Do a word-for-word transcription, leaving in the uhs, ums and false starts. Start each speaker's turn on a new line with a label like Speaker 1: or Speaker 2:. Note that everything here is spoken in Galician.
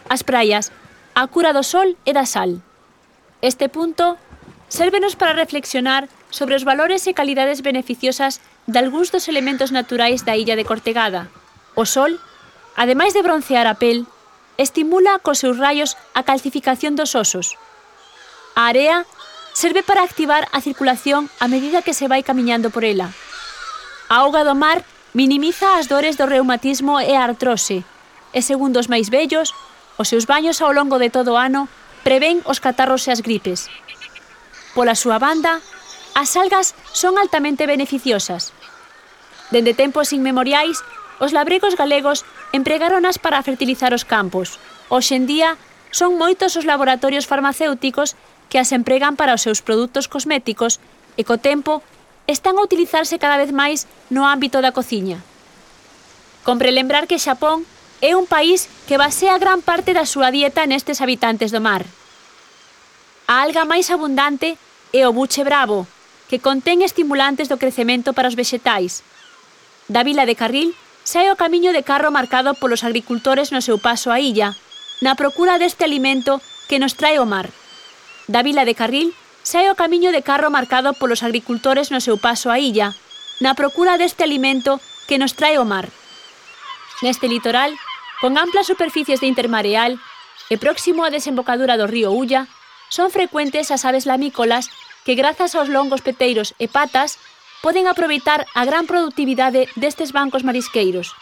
Speaker 1: as praias, a cura do sol e da sal. Este punto sérvenos para reflexionar sobre os valores e calidades beneficiosas dalgúns dos elementos naturais da illa de Cortegada. O sol, ademais de broncear a pel, estimula cos seus raios a calcificación dos osos. A area serve para activar a circulación a medida que se vai camiñando por ela. A auga do mar minimiza as dores do reumatismo e a artrose, e segundo os máis vellos, os seus baños ao longo de todo o ano prevén os catarros e as gripes. Pola súa banda, as algas son altamente beneficiosas. Dende tempos inmemoriais, os labregos galegos empregáronas para fertilizar os campos. Hoxe en día, son moitos os laboratorios farmacéuticos que as empregan para os seus produtos cosméticos e, co tempo, están a utilizarse cada vez máis no ámbito da cociña. Compre lembrar que Xapón é un país que basea gran parte da súa dieta nestes habitantes do mar. A alga máis abundante é o buche bravo, que contén estimulantes do crecemento para os vexetais. Da vila de Carril sae o camiño de carro marcado polos agricultores no seu paso á illa, na procura deste alimento que nos trae o mar. Da vila de Carril sae o camiño de carro marcado polos agricultores no seu paso á illa, na procura deste alimento que nos trae o mar. Neste litoral, con amplas superficies de intermareal e próximo á desembocadura do río Ulla, son frecuentes as aves lamícolas que, grazas aos longos peteiros e patas, poden aproveitar a gran produtividade destes bancos marisqueiros.